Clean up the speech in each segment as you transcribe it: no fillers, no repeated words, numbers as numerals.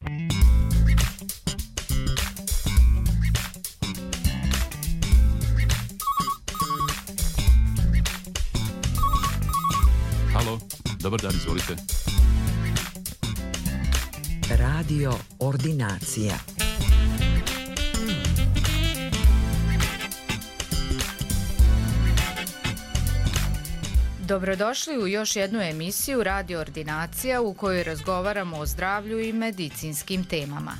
Halo, dobar dan, izvolite. Radio Ordinacija. Dobrodošli u još jednu emisiju Radio Ordinacija u kojoj razgovaramo o zdravlju i medicinskim temama.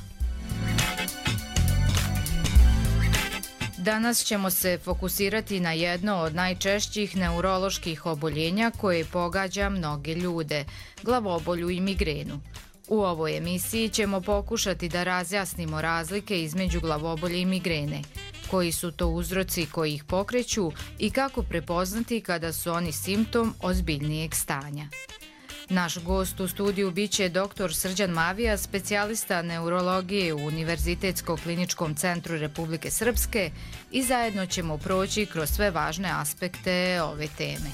Danas ćemo se fokusirati na jedno od najčešćih neuroloških oboljenja koje pogađa mnoge ljude, glavobolju i migrenu. U ovoj emisiji ćemo pokušati da razjasnimo razlike između glavobolje i migrene, koji su to uzroci koji ih pokreću i kako prepoznati kada su oni simptom ozbiljnijeg stanja. Naš gost u studiju biće dr. Srđan Mavija, specijalista neurologije u Univerzitetskom kliničkom centru Republike Srpske i zajedno ćemo proći kroz sve važne aspekte ove teme.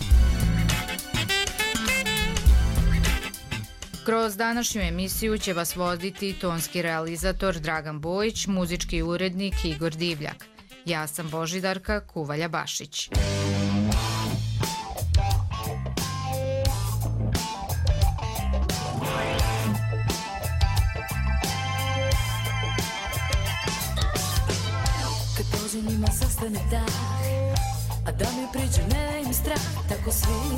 Kroz današnju emisiju će vas voditi tonski realizator Dragan Bojić, muzički urednik Igor Divljak. Ja sam Božidarka Kuvalja-Bašić. Kad pođe njima sastane dah, a da mi priđu ne im strah, tako svi,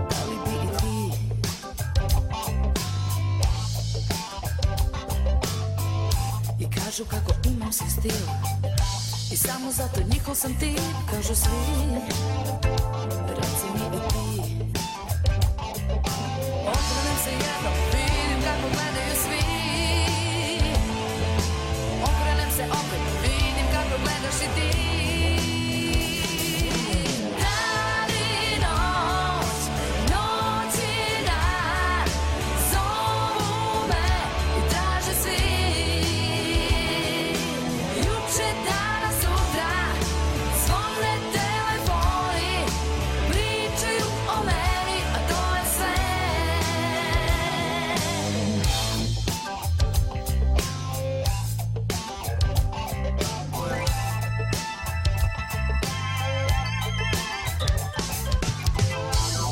da li bi i ti? I kažu kako imam svoj stil i samo zato njihov sam ti, kažu svi, reci mi i ti. Okrenem se jednom, vidim kako gledaju svi. Okrenem se opet, vidim kako gledaš i ti. Dan i noć, noć i dan, zovu me i traže svi. Juče, danas, sutra, zvone telefoni, pričaju o meni, a to je sve.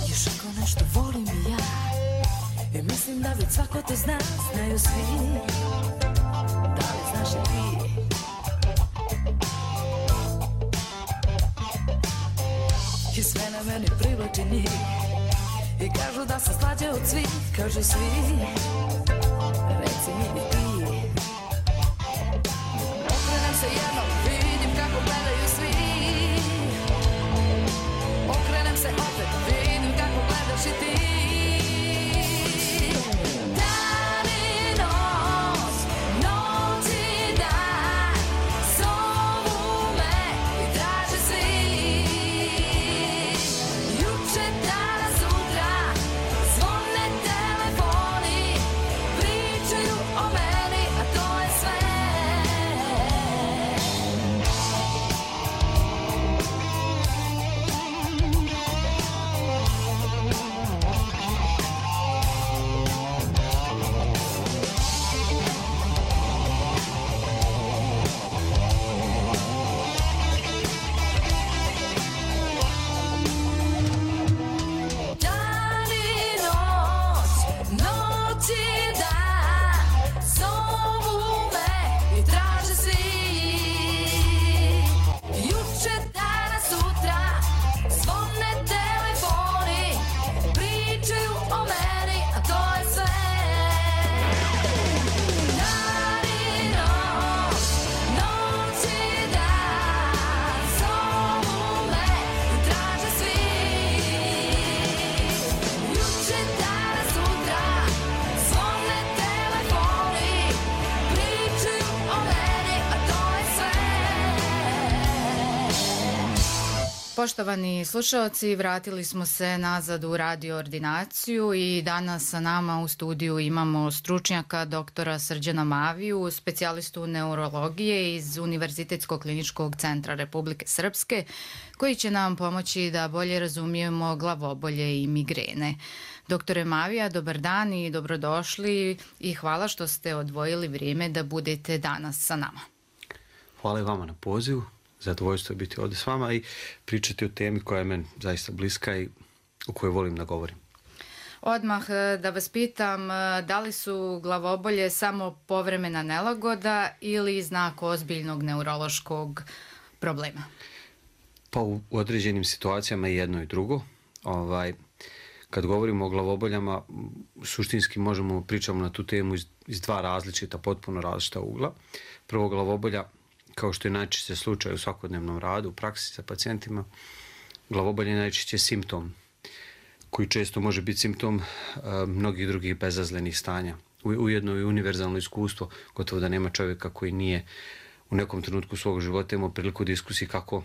Još ako nešto volim i ja, i mislim da već svako to zna, znaju svi. Da li znaš i ti? I sve na meni privlači njih i kažu da sam slađa od svih, kažu svi, reci mi i ti. Okrenem se jednom, vidim kako gledaju svi. Okrenem se opet, vidim kako gledaš i ti. Dan i noć, noć i dan, zovu me i traže svi. Juče, danas, sutra, zvone telefoni, pričaju o meni, a to je sve. Dan i noć, noć i dan, zovu me i traže svi. Juče, danas, sutra, zvone telefoni, pričaju o meni, a to je sve. Dan i noć, noć i dan, zovu me i traže svi. Juče, danas, sutra, zvone Poštovani slušalci, vratili smo se nazad u radio ordinaciju i danas sa nama u studiju imamo stručnjaka doktora Srđana Maviju, specijalistu neurologije iz Univerzitetskog kliničkog centra Republike Srpske, koji će nam pomoći da bolje razumijemo glavobolje i migrene. Doktore Mavija, dobar dan i dobrodošli i hvala što ste odvojili vrijeme da budete danas sa nama. Hvala i vama na pozivu. Zadovoljstvo je biti ovdje s vama i pričati o temi koja je meni zaista bliska i o kojoj volim da govorim. Odmah da vas pitam, da li su glavobolje samo povremena nelagoda ili znak ozbiljnog neurološkog problema? Pa u određenim situacijama i jedno i drugo. Kad govorimo o glavoboljama, suštinski pričamo na tu temu iz dva različita, potpuno različita ugla. Prvo, glavobolja, kao što je najčešće slučaj u svakodnevnom radu, u praksi sa pacijentima, glavobolje je najčešće simptom koji često može biti simptom mnogih drugih bezazlenih stanja. Ujedno i univerzalno iskustvo, gotovo da nema čovjeka koji nije u nekom trenutku svog života imao priliku diskusiji kako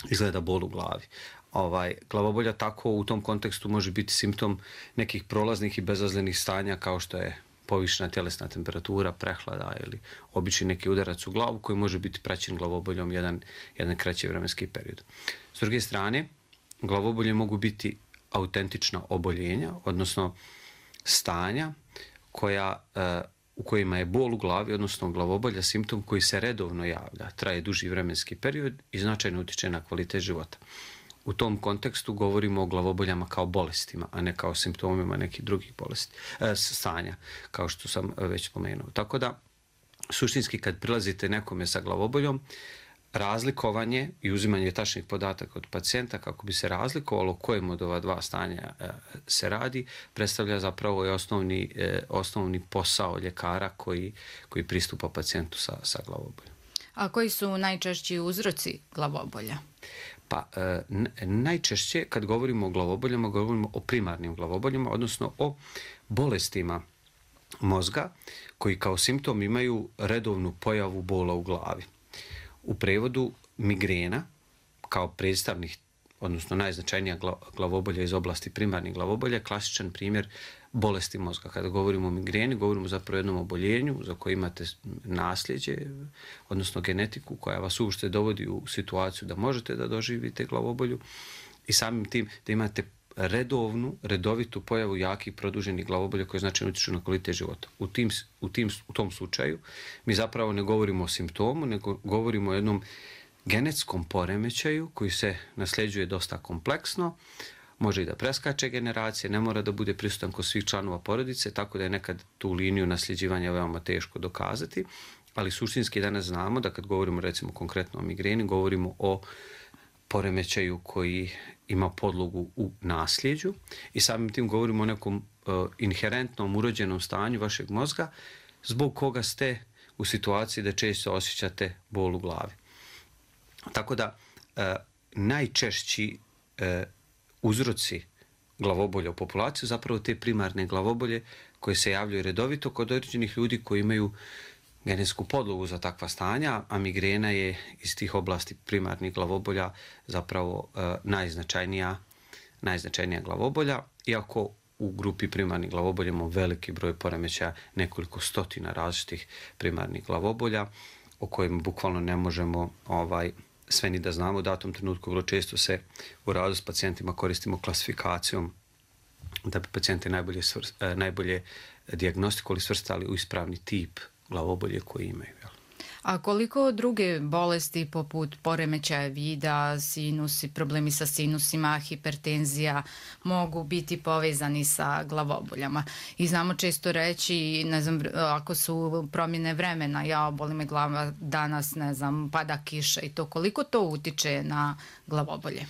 izgleda bol u glavi. Glavobolja tako u tom kontekstu može biti simptom nekih prolaznih i bezazlenih stanja kao što je povišena tjelesna temperatura, prehlada ili obični neki udarac u glavu koji može biti praćen glavoboljom jedan kraći vremenski period. S druge strane, glavobolje mogu biti autentična oboljenja, odnosno stanja u kojima je bol u glavi, odnosno glavobolja, simptom koji se redovno javlja, traje duži vremenski period i značajno utječe na kvalitet života. U tom kontekstu govorimo o glavoboljama kao bolestima, a ne kao simptomima nekih drugih stanja, kao što sam već spomenuo. Tako da, suštinski kad prilazite nekome sa glavoboljom, razlikovanje i uzimanje tačnih podataka od pacijenta kako bi se razlikovalo kojem od ova dva stanja se radi, predstavlja zapravo i osnovni posao ljekara koji pristupa pacijentu sa glavoboljom. A koji su najčešći uzroci glavobolja? Pa najčešće kad govorimo o glavoboljama, govorimo o primarnim glavoboljama, odnosno o bolestima mozga koji kao simptom imaju redovnu pojavu bola u glavi. U prevodu migrena kao predstavnih, odnosno najznačajnija glavobolja iz oblasti primarnih glavobolja, klasičan primjer bolesti mozga. Kada govorimo o migreni, govorimo zapravo o jednom oboljenju za koje imate nasljeđe, odnosno genetiku koja vas uopšte dovodi u situaciju da možete da doživite glavobolju i samim tim da imate redovitu pojavu jakih produženih glavobolja koje značajno utječu na kvalitet života. U tom slučaju mi zapravo ne govorimo o simptomu, nego govorimo o jednom genetskom poremećaju koji se nasljeđuje dosta kompleksno, može i da preskače generacije, ne mora da bude prisutan kod svih članova porodice, tako da je nekad tu liniju nasljeđivanja veoma teško dokazati, ali suštinski danas znamo da kad govorimo recimo konkretno o migreni, govorimo o poremećaju koji ima podlogu u nasljeđu i samim tim govorimo o nekom inherentnom urođenom stanju vašeg mozga zbog koga ste u situaciji da često osjećate bol u glavi. Tako da najčešći uzroci glavobolja u populaciji zapravo te primarne glavobolje koje se javljaju redovito kod određenih ljudi koji imaju genetsku podlogu za takva stanja, a migrena je iz tih oblasti primarnih glavobolja zapravo najznačajnija glavobolja, iako u grupi primarnih glavobolja imamo veliki broj poremećaja, nekoliko stotina različitih primarnih glavobolja o kojima bukvalno ne možemo sve ni da znamo. U datom trenutku vrlo često se u radu s pacijentima koristimo klasifikacijom da bi pacijente najbolje dijagnostikovali, svrstali u ispravni tip glavobolje koje imaju. A koliko druge bolesti poput poremećaja vida, sinusi, problemi sa sinusima, hipertenzija mogu biti povezani sa glavoboljama? I znamo često reći, ne znam, ako su promjene vremena, boli me glava danas, ne znam, pada kiša i to, koliko to utiče na glavobolje?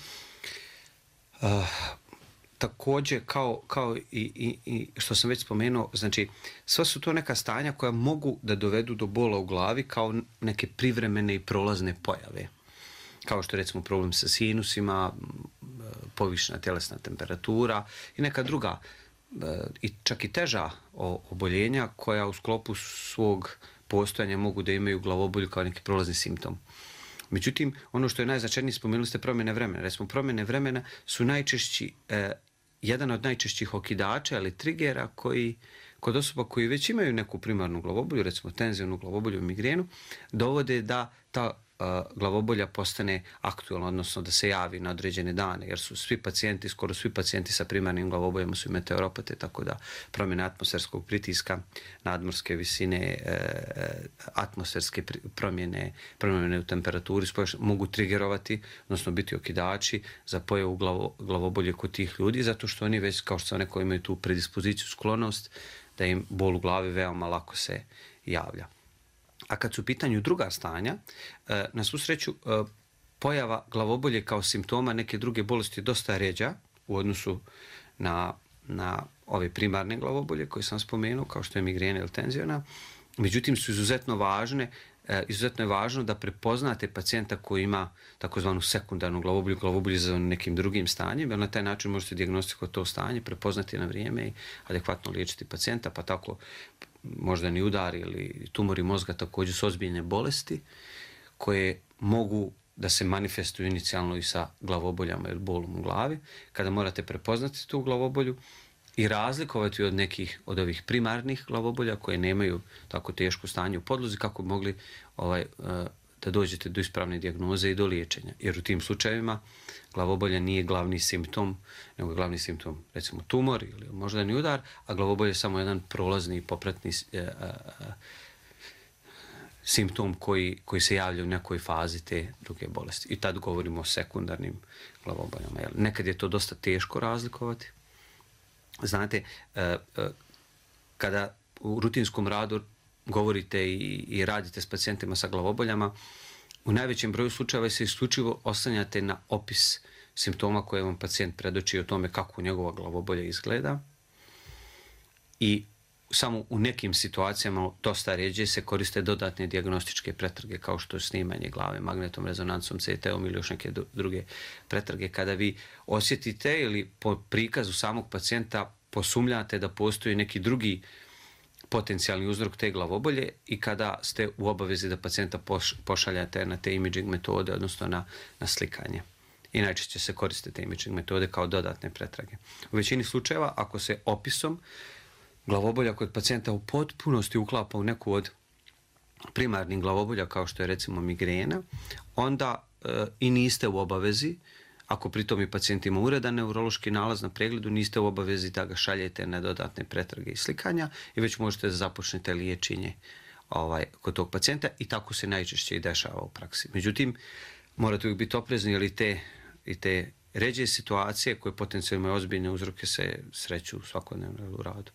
Također, kao i što sam već spomenuo, znači sva su to neka stanja koja mogu da dovedu do bola u glavi kao neke privremene i prolazne pojave. Kao što je recimo problem sa sinusima, povišena tjelesna temperatura i neka druga, čak i teža oboljenja koja u sklopu svog postojanja mogu da imaju glavobolju kao neki prolazni simptom. Međutim, ono što je najznačajnije, spomenuli ste promjene vremena. Recimo, promjene vremena su najčešći, jedan od najčešćih okidača ili trigera koji kod osoba koji već imaju neku primarnu glavobolju, recimo tenzijonu glavobolju, migrenu, dovode da ta glavobolja postane aktualna, odnosno da se javi na određene dane, jer su svi pacijenti, skoro svi pacijenti sa primarnim glavoboljama su meteoropate, tako da promjene atmosferskog pritiska, nadmorske visine, atmosferske promjene u temperaturi mogu trigerovati, odnosno biti okidači za pojavu glavobolje kod tih ljudi, zato što oni već, kao što sam rekao, imaju tu predispoziciju, sklonost, da im bol u glavi veoma lako se javlja. A kad su u pitanju druga stanja, na svu sreću pojava glavobolje kao simptoma neke druge bolesti je dosta ređa u odnosu na ove primarne glavobolje koje sam spomenuo, kao što je migrena ili tenzijona. Međutim, su izuzetno važne. Izuzetno je važno da prepoznate pacijenta koji ima takozvanu sekundarnu glavobolju za nekim drugim stanjem, jer na taj način možete dijagnostikovati to stanje, prepoznati na vrijeme i adekvatno liječiti pacijenta, pa tako moždani udar ili tumori mozga također su ozbiljne bolesti koje mogu da se manifestuju inicijalno i sa glavoboljama ili bolom u glavi. Kada morate prepoznati tu glavobolju i razlikovati od nekih od ovih primarnih glavobolja koje nemaju tako teško stanje u podlozi, kako bi mogli da dođete do ispravne dijagnoze i do liječenja. Jer u tim slučajevima glavobolja nije glavni simptom, nego je glavni simptom recimo tumor ili moždani udar, a glavobolja je samo jedan prolazni i popratni simptom koji se javlja u nekoj fazi te druge bolesti. I tad govorimo o sekundarnim glavoboljama. Nekad je to dosta teško razlikovati. Znate, kada u rutinskom radu govorite i radite s pacijentima sa glavoboljama, u najvećem broju slučajeva se isključivo oslanjate na opis simptoma koje vam pacijent predoči o tome kako njegova glavobolja izgleda. I samo u nekim situacijama dosta ređe se koriste dodatne dijagnostičke pretrage kao što je snimanje glave magnetnom rezonancom, CT-om ili još neke druge pretrage. Kada vi osjetite ili po prikazu samog pacijenta posumljate da postoji neki drugi potencijalni uzrok te glavobolje i kada ste u obavezi da pacijenta pošaljate na te imaging metode, odnosno na slikanje. I najčešće se koriste te imaging metode kao dodatne pretrage. U većini slučajeva, ako se opisom glavobolja kod pacijenta u potpunosti uklapa u neku od primarnih glavobolja, kao što je recimo migrena, onda i niste u obavezi, ako pritom i pacijent ima uredan neurološki nalaz na pregledu, niste u obavezi da ga šaljete na dodatne pretrage i slikanja i već možete da započnete liječenje kod tog pacijenta i tako se najčešće i dešava u praksi. Međutim, morate uvijek biti oprezni jer i te ređe situacije koje potencijalno imaju ozbiljne uzroke se sreću svakodnevno u radu.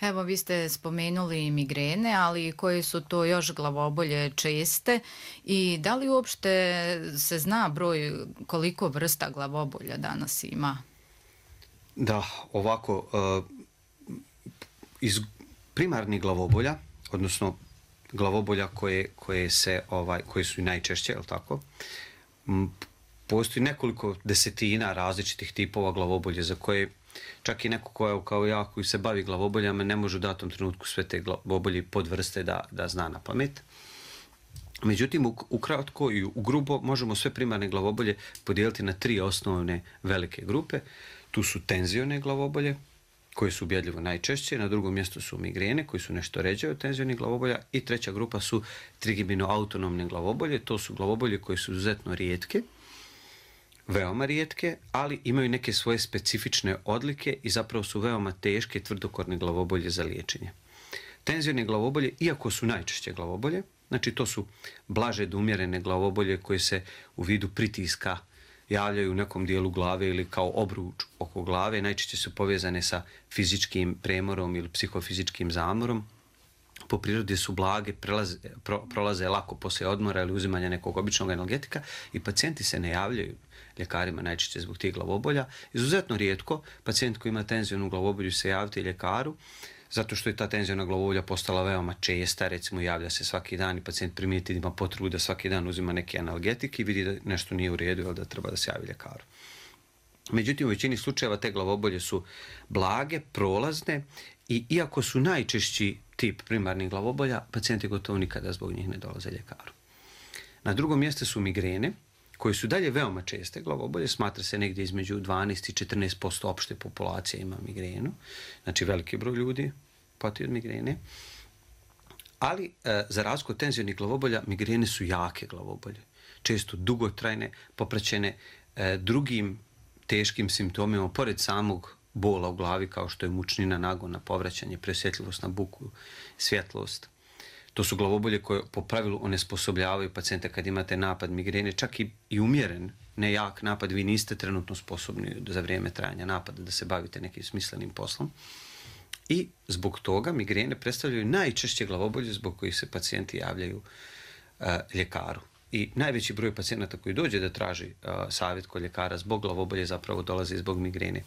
Evo, vi ste spomenuli migrene, ali koje su to još glavobolje česte i da li uopšte se zna broj koliko vrsta glavobolja danas ima? Da, ovako, iz primarnih glavobolja, odnosno glavobolja koje su i najčešće, je li tako? Postoji nekoliko desetina različitih tipova glavobolje za koje čak i neko kao ja koji se bavi glavoboljama ne može u datom trenutku sve te glavobolje podvrste da zna na pamet. Međutim, ukratko i u grubo možemo sve primarne glavobolje podijeliti na 3 osnovne velike grupe. Tu su tenzione glavobolje, koje su ubjedljivo najčešće, na drugom mjestu su migrene, koji su nešto ređe od tenzionih glavobolja i treća grupa su trigibino-autonomne glavobolje. To su glavobolje koje su izuzetno rijetke, veoma rijetke, ali imaju neke svoje specifične odlike i zapravo su veoma teške i tvrdokorne glavobolje za liječenje. Tenzione glavobolje, iako su najčešće glavobolje, znači to su blaže do umjerene glavobolje koje se u vidu pritiska javljaju u nekom dijelu glave ili kao obruč oko glave, najčešće su povezane sa fizičkim premorom ili psihofizičkim zamorom. Po prirodi su blage, prolaze lako poslije odmora ili uzimanja nekog običnog analgetika i pacijenti se ne javljaju ljekarima najčešće zbog tih glavobolja. Izuzetno rijetko pacijent koji ima tenzionu glavobolju se javiti ljekaru, zato što je ta tenziona glavobolja postala veoma česta, recimo javlja se svaki dan i pacijent primijeti da ima potrebu da svaki dan uzima neki analgetik i vidi da nešto nije u redu ili da treba da se javi ljekaru. Međutim, u većini slučajeva te glavobolje su blage, prolazne i iako su najčešći tip primarnih glavobolja, pacijenti gotovo nikada zbog njih ne dolaze ljekaru. Na drugom mjestu su migrene, koje su dalje veoma česte. Glavobolje smatra se negdje između 12 i 14% opšte populacije ima migrenu. Znači veliki broj ljudi pati od migrene. Ali za razliku od tenzionih glavobolja, migrene su jake glavobolje. Često dugotrajne, popraćene drugim teškim simptomima, pored samog bola u glavi, kao što je mučnina, nagona, povraćanje, preosjetljivost na buku, svjetlost. To su glavobolje koje po pravilu onesposobljavaju pacijente kad imate napad migrene, čak i umjeren, ne jak napad, vi niste trenutno sposobni za vrijeme trajanja napada da se bavite nekim smislenim poslom. I zbog toga migrene predstavljaju najčešće glavobolje zbog kojih se pacijenti javljaju ljekaru. I najveći broj pacijenata koji dođe da traži savjet kod ljekara zbog glavobolje zapravo dolazi zbog migrene.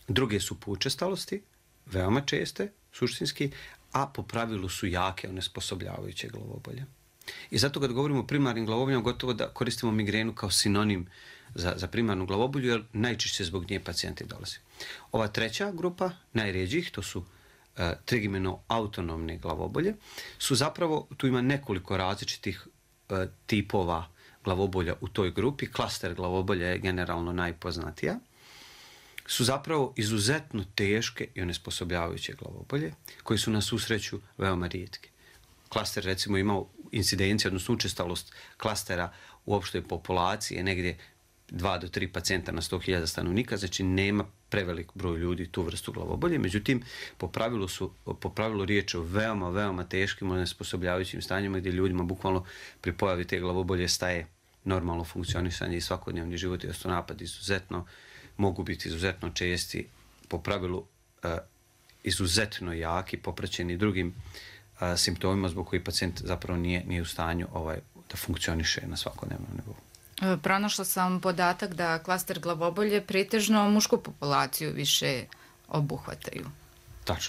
Druge su po učestalosti, veoma česte, suštinski, a po pravilu su jake, onesposobljavajuće glavobolje. I zato kad govorimo o primarnim glavoboljama, gotovo da koristimo migrenu kao sinonim za primarnu glavobolju, jer najčešće zbog nje pacijenti dolaze. Ova treća grupa, najređih, to su trigimeno-autonomne glavobolje, su zapravo, tu ima nekoliko različitih tipova glavobolja u toj grupi. Klaster glavobolja je generalno najpoznatija. Su zapravo izuzetno teške i onesposobljavajuće glavobolje, koji su na svu sreću veoma rijetke. Klaster recimo imao incidenciju, odnosno učestalost klastera u opštoj populaciji je negdje 2 do 3 pacijenta na 100.000 stanovnika, znači nema prevelik broj ljudi tu vrstu glavobolje, međutim po pravilu riječ o veoma teškim onesposobljavajućim stanjima gdje ljudima bukvalno pri pojavi te glavobolje staje normalno funkcionisanje i svakodnevni život i napad mogu biti izuzetno česti, po pravilu izuzetno jaki, popraćeni drugim simptomima zbog koji pacijent zapravo nije u stanju da funkcioniše na svakodnevnom nivou. Pronašla sam podatak da klaster glavobolje pretežno mušku populaciju više obuhvataju.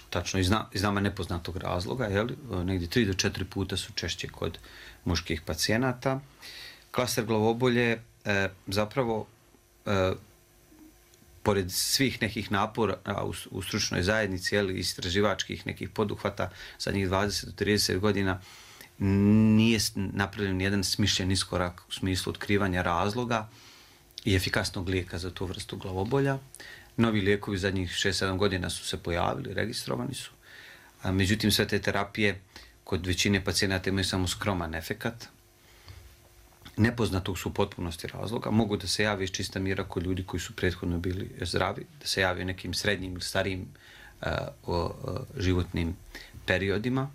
Tačno. Iz nama nepoznatog razloga, negdje 3 do 4 puta su češće kod muških pacijenata. Klaster glavobolje zapravo pored svih nekih napora u stručnoj zajednici, istraživačkih nekih poduhvata zadnjih 20 do 30 godina, nije napravljen jedan smišljen iskorak u smislu otkrivanja razloga i efikasnog lijeka za tu vrstu glavobolja. Novi lijekovi zadnjih 6-7 godina su se pojavili, registrovani su. Međutim, sve te terapije kod većine pacijenata imaju samo skroman efekat. Nepoznatog su u potpunosti razloga. Mogu da se javi iz čista mira kod ljudi koji su prethodno bili zdravi, da se javi nekim srednjim ili starijim životnim periodima.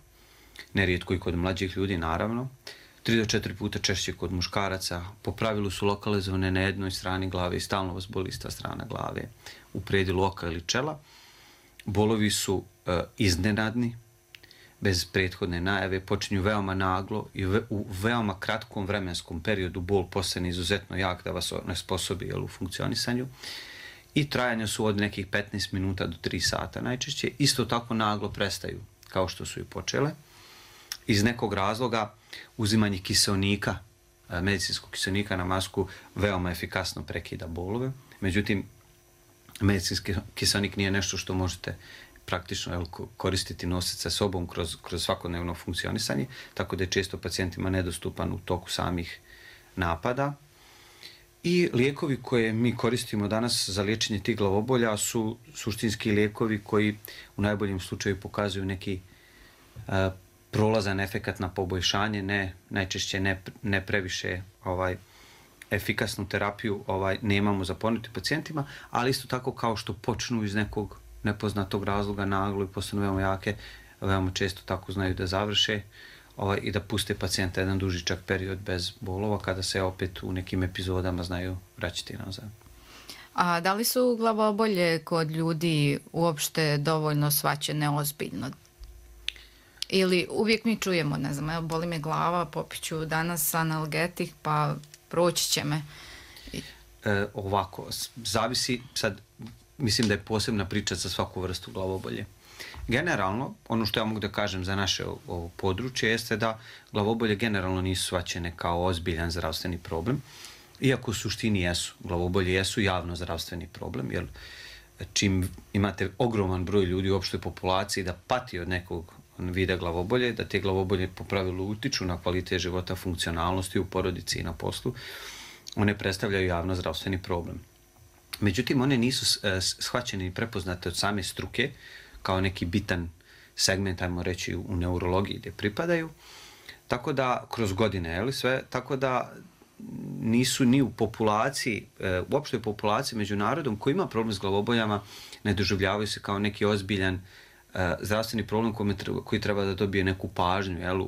Nerijetko i kod mlađih ljudi, naravno. 3 do 4 puta češće kod muškaraca. Po pravilu su lokalizovane na jednoj strani glave i stalno vas boli ista strana glave u predjelu oka ili čela. Bolovi su iznenadni, bez prethodne najave, počinju veoma naglo i u veoma kratkom vremenskom periodu bol postane izuzetno jak da vas onesposobi u funkcionisanju. I trajanja su od nekih 15 minuta do 3 sata najčešće. Isto tako naglo prestaju, kao što su i počele. Iz nekog razloga uzimanje kiseonika, medicinskog kiseonika na masku, veoma efikasno prekida bolove. Međutim, medicinski kiseonik nije nešto što možete praktično koristiti, nositi sa sobom kroz svakodnevno funkcionisanje, tako da je često pacijentima nedostupan u toku samih napada. I lijekovi koje mi koristimo danas za liječenje tih glavobolja su suštinski lijekovi koji u najboljem slučaju pokazuju neki prolazan efekat na poboljšanje, najčešće ne previše efikasnu terapiju nemamo za ponuditi pacijentima, ali isto tako kao što počnu iz nekog nepoznatog razloga naglo i postanu veoma jake, veoma često tako znaju da završe i da puste pacijenta jedan dužičak period bez bolova, kada se opet u nekim epizodama znaju vraćati nazad. A da li su glavobolje kod ljudi uopšte dovoljno shvaćene ozbiljno? Ili uvijek mi čujemo, ne znam, evo boli me glava, popiću danas analgetik, pa proći će me. Ovako, zavisi, sad mislim da je posebna priča za svaku vrstu glavobolje. Generalno, ono što ja mogu da kažem za naše ovo područje jeste da glavobolje generalno nisu shvaćene kao ozbiljan zdravstveni problem, iako u suštini jesu. Glavobolje jesu javno zdravstveni problem, jer čim imate ogroman broj ljudi u opštoj populaciji da pati od nekog vide glavobolje, da te glavobolje po pravilu utiču na kvalitet života, funkcionalnosti u porodici i na poslu, one predstavljaju javno-zdravstveni problem. Međutim, one nisu shvaćene i prepoznate od same struke kao neki bitan segment, ajmo reći, u neurologiji gdje pripadaju, tako da kroz godine, sve, tako da nisu ni u populaciji, u opštoj populaciji među narodom koji ima problem s glavoboljama, ne doživljavaju se kao neki ozbiljan zdravstveni problem koji treba da dobije neku pažnju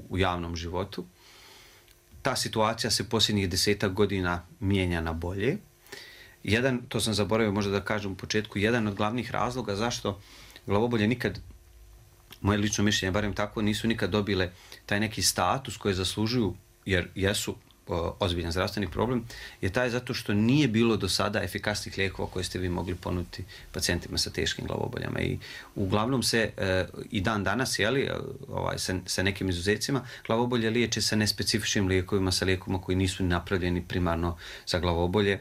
u javnom životu. Ta situacija se posljednjih 10 godina mijenja na bolje. To sam zaboravio možda da kažem u početku, jedan od glavnih razloga zašto glavobolje nikad, moje lično mišljenje, barem tako, nisu nikad dobile taj neki status koji zaslužuju, jer jesu ozbiljan zdravstveni problem, je taj zato što nije bilo do sada efikasnih lijekova koje ste vi mogli ponuditi pacijentima sa teškim glavoboljama. I uglavnom se i dan danas, sa nekim izuzecima, glavobolje liječe sa nespecifičnim lijekovima, sa lijekovima koji nisu napravljeni primarno za glavobolje,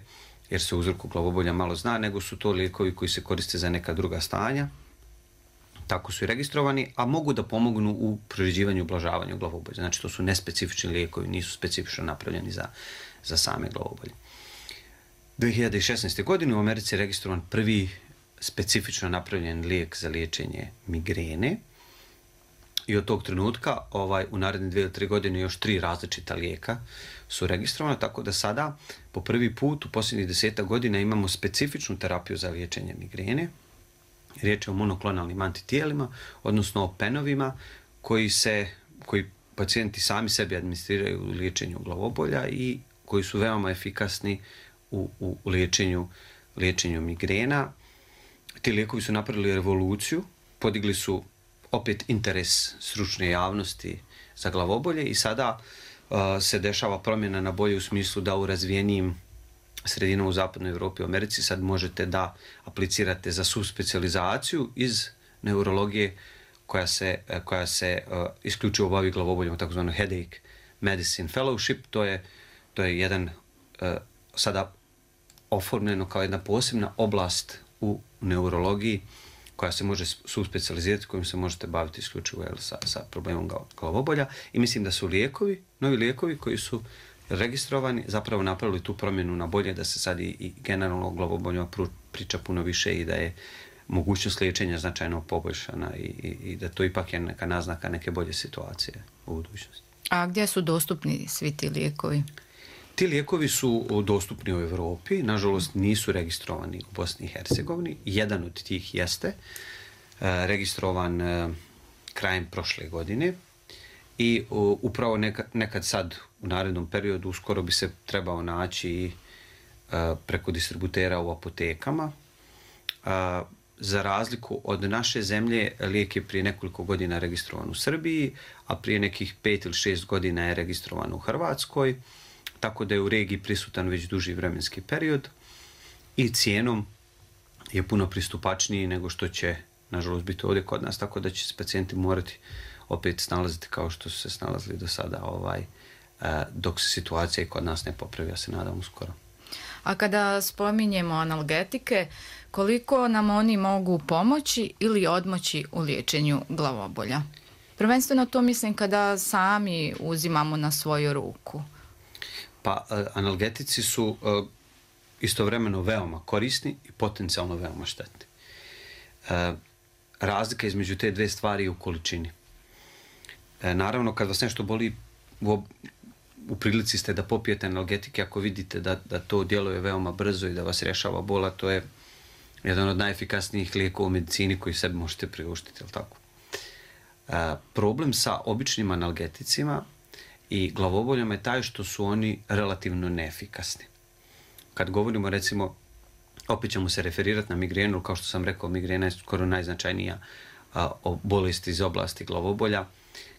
jer se o uzroku glavobolja malo zna, nego su to lijekovi koji se koriste za neka druga stanja. Tako su i registrovani, a mogu da pomognu u priređivanju i ublažavanju glavobolja. Znači, to su nespecifični lijekovi, nisu specifično napravljeni za same glavobolje. 2016. godine u Americi je registrovan prvi specifično napravljen lijek za liječenje migrene i od tog trenutka u naredne 2 ili 3 godine još 3 različita lijeka su registrovana, tako da sada po prvi put u posljednjih 10 godina imamo specifičnu terapiju za liječenje migrene. Riječ je o monoklonalnim antitijelima, odnosno o penovima koji pacijenti sami sebi administriraju u liječenju glavobolja i koji su veoma efikasni u liječenju migrena. Ti lijekovi su napravili revoluciju, podigli su opet interes stručne javnosti za glavobolje i sada se dešava promjena na bolje u smislu da u razvijenijim sredinama u zapadnoj Evropi i Americi sad možete da aplicirate za subspecijalizaciju iz neurologije koja se isključivo bavi glavoboljom, takozvano Headache Medicine Fellowship. To je jedan sada oformljeno kao jedna posebna oblast u neurologiji koja se može subspecijalizirati, kojim se možete baviti isključivo sa problemom glavobolja. I mislim da su novi lijekovi koji su registrovani, zapravo napravili tu promjenu na bolje, da se sad i generalno o glavoboljima priča puno više i da je mogućnost liječenja značajno poboljšana i da to ipak je neka naznaka neke bolje situacije u budućnosti. A gdje su dostupni svi ti lijekovi? Ti lijekovi su dostupni u Evropi, nažalost nisu registrovani u Bosni i Hercegovini. Jedan od tih jeste registrovan krajem prošle godine i upravo nekad sad u narednom periodu uskoro bi se trebao naći preko distributera u apotekama. Za razliku od naše zemlje, lijek je prije nekoliko godina registrovan u Srbiji, a prije nekih 5 ili 6 godina je registrovan u Hrvatskoj, tako da je u regiji prisutan već duži vremenski period i cijenom je puno pristupačniji nego što će, nažalost, biti ovdje kod nas, tako da će se pacijenti morati opet snalaziti kao što su se snalazili do sada, dok se situacija i kod nas ne popravi, ja se nadam uskoro. A kada spominjemo analgetike, koliko nam oni mogu pomoći ili odmoći u liječenju glavobolja? Prvenstveno to mislim kada sami uzimamo na svoju ruku. Pa analgetici su istovremeno veoma korisni i potencijalno veoma štetni. Razlika između te dve stvari je u količini. Naravno, kad vas nešto boli, u prilici ste da popijete analgetike, ako vidite da to djeluje veoma brzo i da vas rješava bola, to je jedan od najefikasnijih lijekova u medicini koji sebi možete priuštiti, jel tako? Problem sa običnim analgeticima i glavoboljama je taj što su oni relativno neefikasni. Kad govorimo, recimo, opet ćemo se referirati na migrenu, kao što sam rekao, migrena je skoro najznačajnija bolest iz oblasti glavobolja.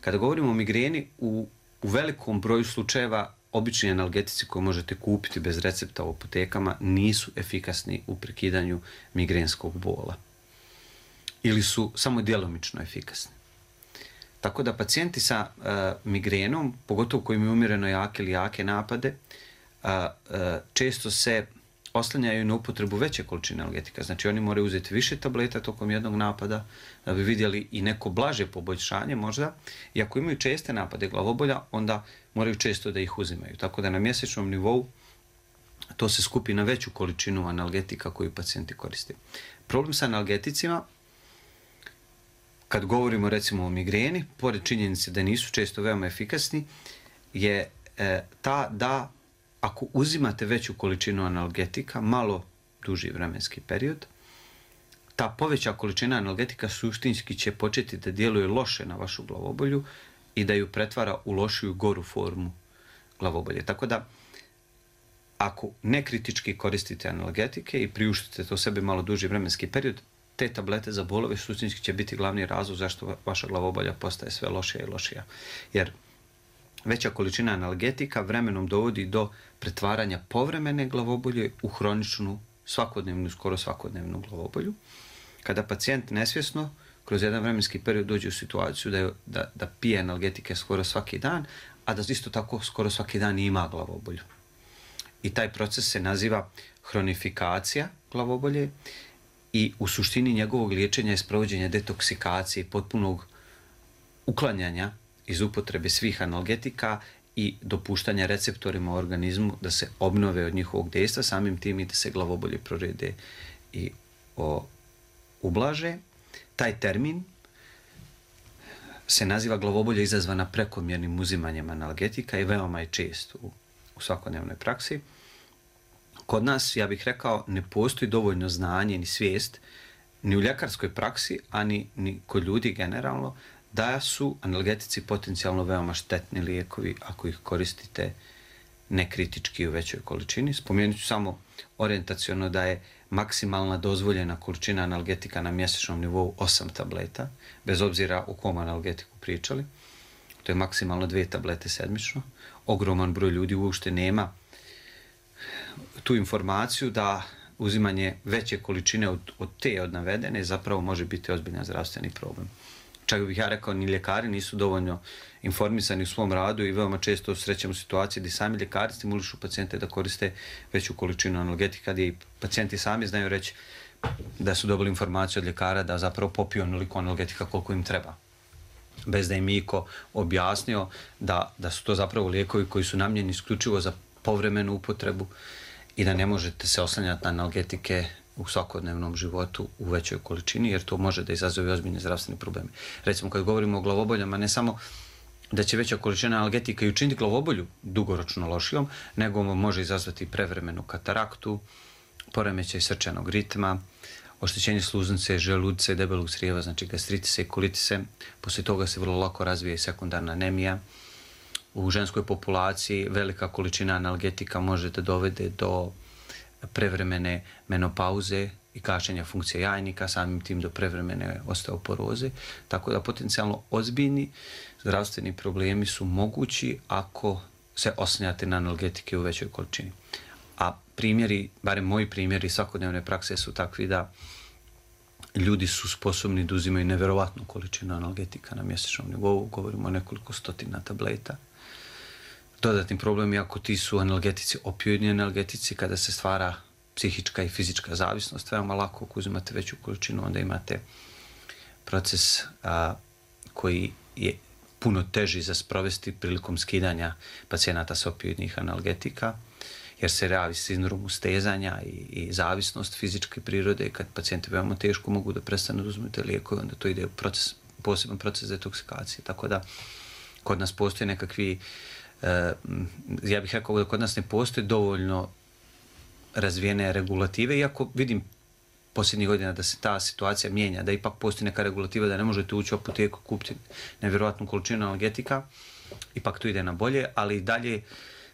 Kada govorimo o migreni, u velikom broju slučajeva obični analgetici koje možete kupiti bez recepta u apotekama nisu efikasni u prekidanju migrenskog bola ili su samo djelomično efikasni. Tako da pacijenti sa migrenom, pogotovo koji imaju umjereno jake ili jake napade, često se oslanjaju na upotrebu veće količine analgetika. Znači oni moraju uzeti više tableta tokom jednog napada da bi vidjeli i neko blaže poboljšanje možda. I ako imaju česte napade glavobolja, onda moraju često da ih uzimaju. Tako da na mjesečnom nivou to se skupi na veću količinu analgetika koju pacijenti koriste. Problem sa analgeticima, kad govorimo recimo o migreni, pored činjenice da nisu često veoma efikasni, je ta da ako uzimate veću količinu analgetika, malo duži vremenski period, ta poveća količina analgetika suštinski će početi da djeluje loše na vašu glavobolju i da ju pretvara u lošiju, goru formu glavobolje. Tako da, ako nekritički koristite analgetike i priuštite to sebi malo duži vremenski period, te tablete za bolove suštinski će biti glavni razlog zašto vaša glavobolja postaje sve lošija i lošija. Jer veća količina analgetika vremenom dovodi do pretvaranja povremene glavobolje u hroničnu, svakodnevnu, skoro svakodnevnu glavobolju. Kada pacijent nesvjesno kroz jedan vremenski period dođe u situaciju da pije analgetike skoro svaki dan, a da isto tako skoro svaki dan ima glavobolju. I taj proces se naziva hronifikacija glavobolje i u suštini njegovog liječenja je sprovođenje detoksikacije i potpunog uklanjanja iz upotrebe svih analgetika i dopuštanja receptorima u organizmu da se obnove od njihovog dejstva, samim tim i da se glavobolje prorede i ublaže. Taj termin se naziva glavobolja izazvana prekomjernim uzimanjem analgetika i veoma je čest u svakodnevnoj praksi. Kod nas, ja bih rekao, ne postoji dovoljno znanje ni svijest ni u ljekarskoj praksi, a ni kod ljudi generalno, da su analgetici potencijalno veoma štetni lijekovi ako ih koristite nekritički u većoj količini. Spomenut ću samo orijentaciono da je maksimalna dozvoljena količina analgetika na mjesečnom nivou 8 tableta, bez obzira o kom analgetiku pričali. To je maksimalno 2 tablete sedmično. Ogroman broj ljudi uopšte nema tu informaciju da uzimanje veće količine od navedene zapravo može biti ozbiljan zdravstveni problem. Čak bih ja rekao, ni ljekari nisu dovoljno informisani u svom radu i veoma često srećemo situacije gdje sami ljekari stimulišu pacijente da koriste veću količinu analgetika, gdje i pacijenti sami znaju reći da su dobili informaciju od ljekara da zapravo popiju onoliko analgetika koliko im treba. Bez da im iko objasnio da su to zapravo lijekovi koji su namljeni isključivo za povremenu upotrebu i da ne možete se oslanjati na analgetike u svakodnevnom životu u većoj količini, jer to može da izazove ozbiljne zdravstvene probleme. Recimo, kad govorimo o glavoboljama, ne samo da će veća količina analgetika i učiniti glavobolju dugoročno lošijom, nego može izazvati prevremenu kataraktu, poremećaj srčanog ritma, oštećenje sluznice, želudice, debelog crijeva, znači gastritise i kolitise. Poslije toga se vrlo lako razvije i sekundarna anemija. U ženskoj populaciji velika količina analgetika može da dovede do prevremene menopauze i gašenja funkcije jajnika, samim tim do prevremene osteoporoze. Tako da potencijalno ozbiljni zdravstveni problemi su mogući ako se oslanjate na analgetike u većoj količini. A primjeri, barem moji primjeri svakodnevne prakse su takvi da ljudi su sposobni da uzimaju neverovatnu količinu analgetika na mjesečnom nivou, govorimo o nekoliko stotina tableta. Dodatni problem je ako ti su analgetici, opioidni analgetici, kada se stvara psihička i fizička zavisnost, veoma lako ako uzimate veću količinu, onda imate proces koji je puno teži za sprovesti prilikom skidanja pacijenata sa opioidnih analgetika, jer se javi sindrom ustezanja i zavisnost fizičke prirode. Kad pacijenti veoma teško mogu da prestanu da uzmete lijekove, onda to ide u poseban proces detoksikacije. Tako da kod nas postoje nekakvi, ja bih rekao da kod nas ne postoje dovoljno razvijene regulative, iako vidim posljednjih godina da se ta situacija mijenja, da ipak postoji neka regulativa da ne možete ući u apoteku, kupiti nevjerojatnu količinu analgetika, ipak to ide na bolje, ali i dalje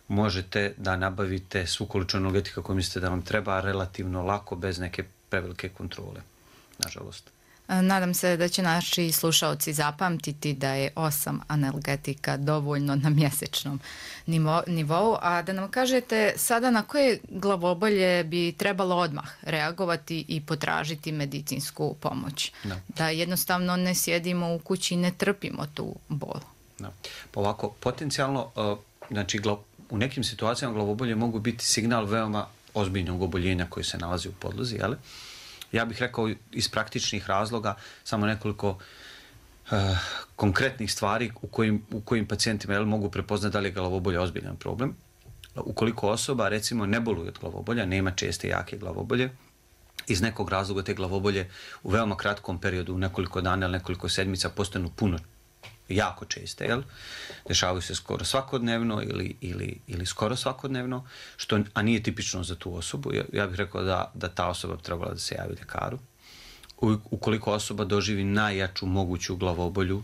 možete da nabavite svu količinu analgetika koju mislite da vam treba relativno lako, bez neke prevelike kontrole, nažalost. Nadam se da će naši slušaoci zapamtiti da je 8 analgetika dovoljno na mjesečnom nivou, a da nam kažete sada na koje glavobolje bi trebalo odmah reagovati i potražiti medicinsku pomoć. No. Da jednostavno ne sjedimo u kući i ne trpimo tu bol. No. Pa ovako, potencijalno, znači u nekim situacijama glavobolje mogu biti signal veoma ozbiljnog oboljenja koje se nalazi u podlozi, jel? Ja bih rekao iz praktičnih razloga samo nekoliko konkretnih stvari u kojim pacijentima mogu prepoznati da li je glavobolja ozbiljan problem. Ukoliko osoba, recimo, ne boluje od glavobolja, nema česte jake glavobolje, iz nekog razloga te glavobolje u veoma kratkom periodu, u nekoliko dana ili nekoliko sedmica, postanu puno jako česte, jel? Dešavaju se skoro svakodnevno ili skoro svakodnevno, a nije tipično za tu osobu. Ja bih rekao da ta osoba bi trebala da se javi ljekaru. Ukoliko osoba doživi najjaču moguću glavobolju,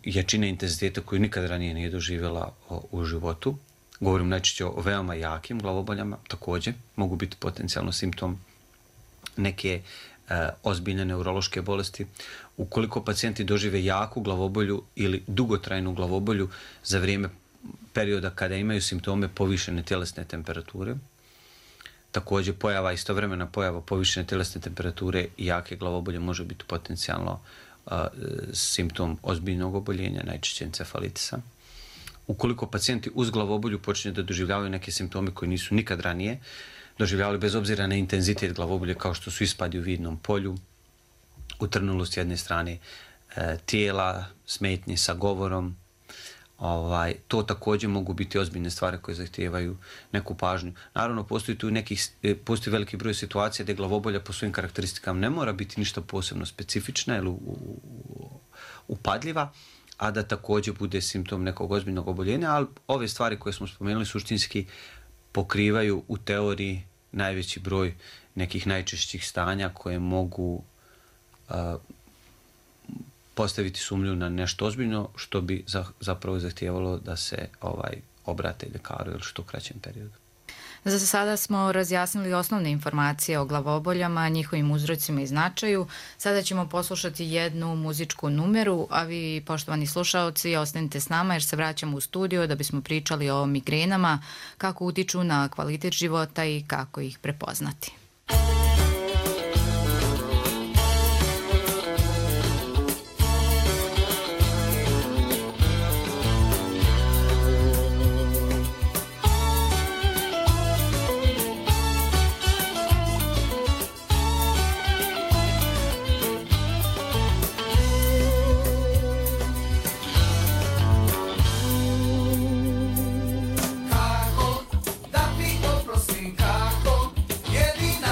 jačine intenziteta koju nikad ranije nije doživjela u životu, govorim najčešće o veoma jakim glavoboljama, također mogu biti potencijalno simptom neke ozbiljne neurološke bolesti. Ukoliko pacijenti dožive jaku glavobolju ili dugotrajnu glavobolju za vrijeme perioda kada imaju simptome povišene tjelesne temperature, također istovremena pojava povišene tjelesne temperature i jake glavobolje može biti potencijalno simptom ozbiljnog oboljenja, najčešće encefalitisa. Ukoliko pacijenti uz glavobolju počinju da doživljavaju neke simptome koji nisu nikad ranije doživljavali, bez obzira na intenzitet glavobolje, kao što su ispadi u vidnom polju, utrnulost s jedne strane tijela, smetnje sa govorom, to također mogu biti ozbiljne stvari koje zahtijevaju neku pažnju. Naravno, postoji veliki broj situacija gdje glavobolja po svojim karakteristikama ne mora biti ništa posebno specifična ili upadljiva, a da također bude simptom nekog ozbiljnog oboljenja, ali ove stvari koje smo spomenuli suštinski pokrivaju u teoriji najveći broj nekih najčešćih stanja koje mogu postaviti sumnju na nešto ozbiljno, što bi zapravo zahtijevalo da se obrate ljekaru ili što kraćem periodu. Za sada smo razjasnili osnovne informacije o glavoboljama, njihovim uzrocima i značaju. Sada ćemo poslušati jednu muzičku numeru, a vi, poštovani slušaoci, ostanite s nama jer se vraćamo u studio da bismo pričali o migrenama, kako utiču na kvalitet života i kako ih prepoznati. Kako da ti oprostim, kako jedina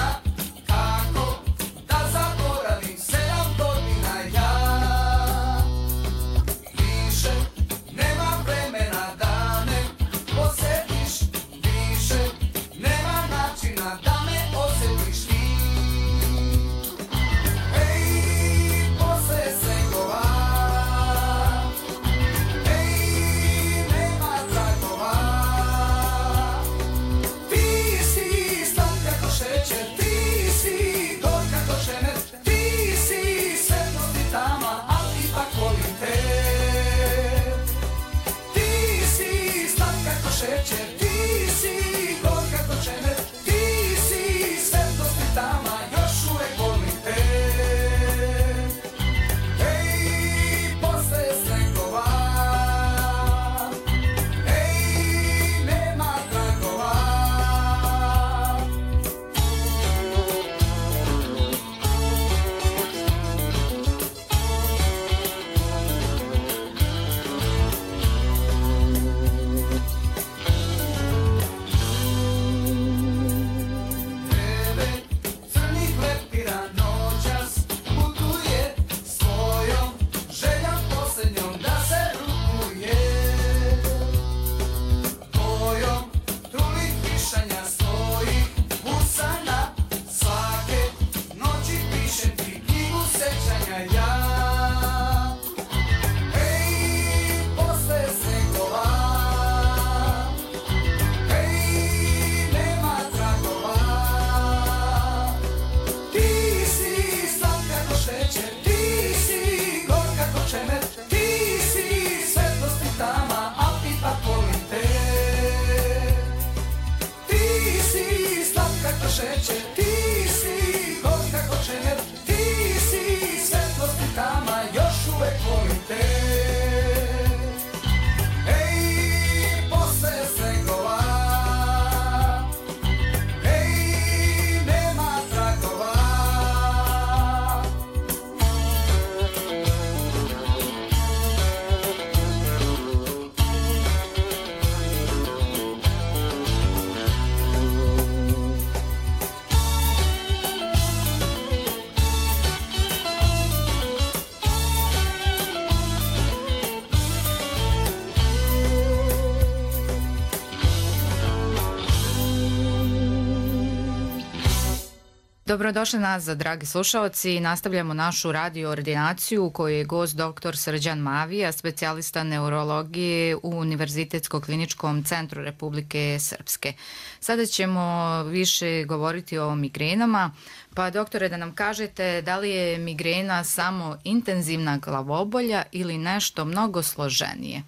Dobrodošli nazad, dragi slušalci. Nastavljamo našu radio ordinaciju u kojoj je gost dr. Srđan Mavija, specijalista neurologije u Univerzitetsko-kliničkom centru Republike Srpske. Sada ćemo više govoriti o migrenama. Pa, doktore, da nam kažete da li je migrena samo intenzivna glavobolja ili nešto mnogo složenije?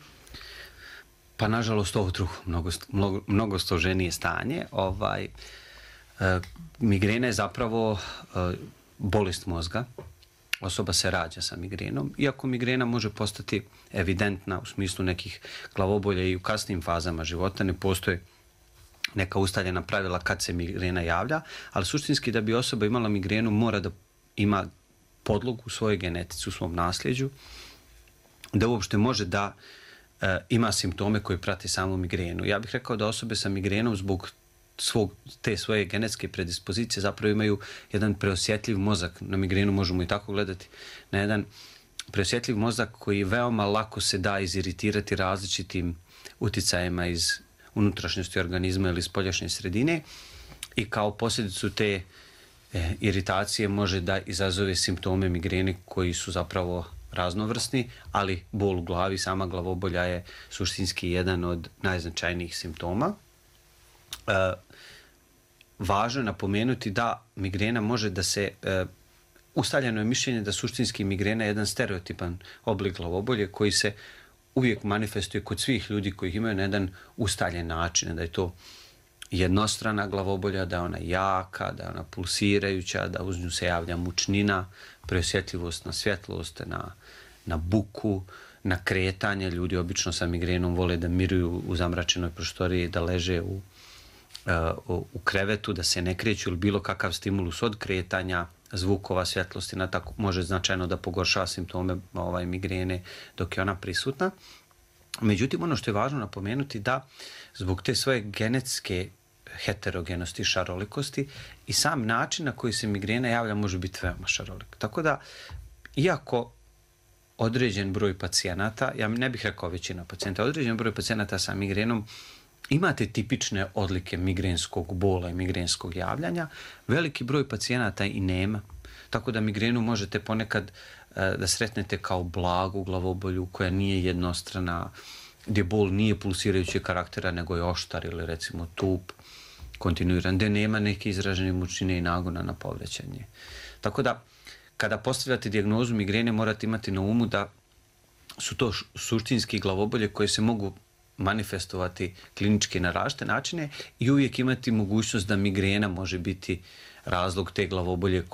Pa, nažalost, ovo drugo, mnogo složenije stanje. Migrena je zapravo bolest mozga. Osoba se rađa sa migrenom. Iako migrena može postati evidentna u smislu nekih glavobolja i u kasnim fazama života, ne postoje neka ustaljena pravila kad se migrena javlja, ali suštinski da bi osoba imala migrenu mora da ima podlogu u svojoj genetici, u svom nasljeđu, da uopšte može da ima simptome koji prati samu migrenu. Ja bih rekao da osobe sa migrenom zbog te svoje genetske predispozicije zapravo imaju jedan preosjetljiv mozak. Na migrenu možemo i tako gledati. Na jedan preosjetljiv mozak koji veoma lako se da iziritirati različitim uticajima iz unutrašnjosti organizma ili spoljašnje sredine i kao posljedicu te iritacije može da izazove simptome migrene koji su zapravo raznovrsni, ali bol u glavi, sama glavobolja je suštinski jedan od najznačajnijih simptoma. Važno je napomenuti da migrena može da se, ustaljeno je mišljenje da suštinski migrena je jedan stereotipan oblik glavobolje koji se uvijek manifestuje kod svih ljudi koji imaju na jedan ustaljen način, da je to jednostrana glavobolja, da je ona jaka, da je ona pulsirajuća, da uz nju se javlja mučnina, preosjetljivost na svjetlost, na buku, na kretanje. Ljudi obično sa migrenom vole da miruju u zamračenoj prostoriji, da leže u krevetu, da se ne kreću ili bilo kakav stimulus od kretanja, zvukova, svjetlosti, tako može značajno da pogoršava simptome migrene dok je ona prisutna. Međutim, ono što je važno napomenuti da zbog te svoje genetske heterogenosti, šarolikosti i sam način na koji se migrena javlja može biti veoma šarolik. Tako da, iako određen broj pacijenata, ja ne bih rekao većina pacijenta, određen broj pacijenata sa migrenom imate tipične odlike migrenskog bola i migrenskog javljanja, veliki broj pacijenata i nema. Tako da migrenu možete ponekad da sretnete kao blagu glavobolju koja nije jednostrana, gdje bol nije pulsirajući karaktera, nego je oštar ili recimo tup, kontinuiran, gdje nema neke izražene mučine i nagona na povraćanje. Tako da, kada postavljate dijagnozu migrene, morate imati na umu da su to suštinski glavobolje koje se mogu manifestovati klinički na različite načine i uvijek imati mogućnost da migrena može biti razlog te glavobolje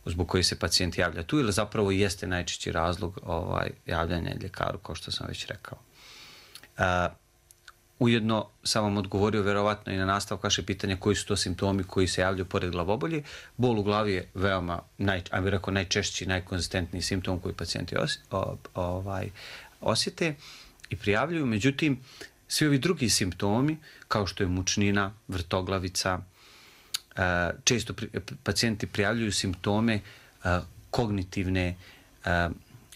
zbog koje se pacijent javlja tu ili zapravo jeste najčešći razlog javljanja ljekaru, kao što sam već rekao. Ujedno sam vam odgovorio verovatno i na nastavak vaše pitanja koji su to simptomi koji se javljaju pored glavobolje. Bol u glavi je veoma, ajmo rekao, najčešći, najkonzistentniji simptom koji pacijenti osjete i prijavljuju. Međutim, svi ovi drugi simptomi, kao što je mučnina, vrtoglavica, često pacijenti prijavljuju simptome kognitivne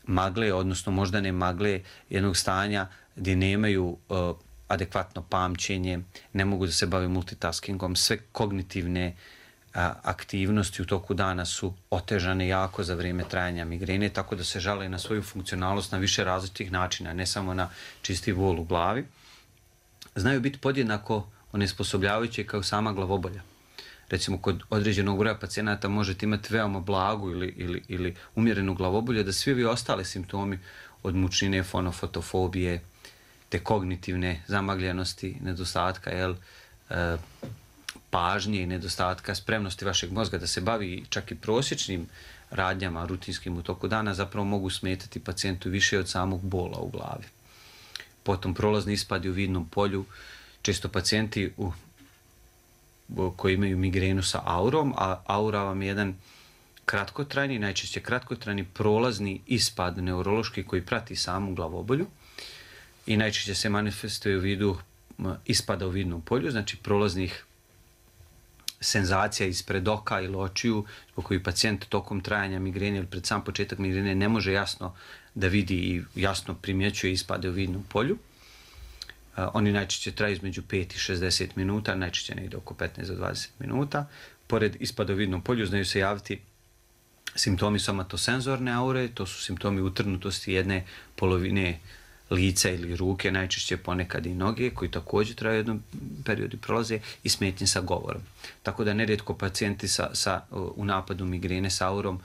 magle, odnosno moždane magle jednog stanja gdje nemaju adekvatno pamćenje, ne mogu da se bave multitaskingom, sve kognitivne aktivnosti u toku dana su otežane jako za vrijeme trajanja migrene, tako da se žale na svoju funkcionalnost na više različitih načina, ne samo na čisti bol u glavi. Znaju biti podjednako onesposobljavajuće kao sama glavobolja. Recimo, kod određenog broja pacijenata možete imati veoma blagu ili umjerenu glavobolju, da svi ovi ostale simptomi od mučnine, fonofotofobije, te kognitivne zamagljenosti, nedostatka pažnje i nedostatka spremnosti vašeg mozga da se bavi čak i prosječnim radnjama rutinskim u toku dana zapravo mogu smetati pacijentu više od samog bola u glavi. Potom prolazni ispadi u vidnom polju, često pacijenti koji imaju migrenu sa aurom, a aura vam je jedan kratkotrajni, najčešće kratkotrajni prolazni ispad neurološki koji prati samu glavobolju i najčešće se manifestuje u vidu ispada u vidnom polju, znači prolaznih senzacija ispred oka ili očiju, zbog koji pacijent tokom trajanja migrene ili pred sam početak migrene ne može jasno da vidi i jasno primjećuje ispade u vidnom polju. Oni najčešće traju između 5 i 60 minuta, najčešće negdje oko 15 do 20 minuta. pored ispada u vidnom polju znaju se javiti simptomi somatosenzorne aure, to su simptomi utrnutosti jedne polovine lica ili ruke, najčešće ponekad i noge, koji također traju jednom periodu prolaze, i smetnje sa govorom. Tako da nerijetko pacijenti u napadu migrene sa aurom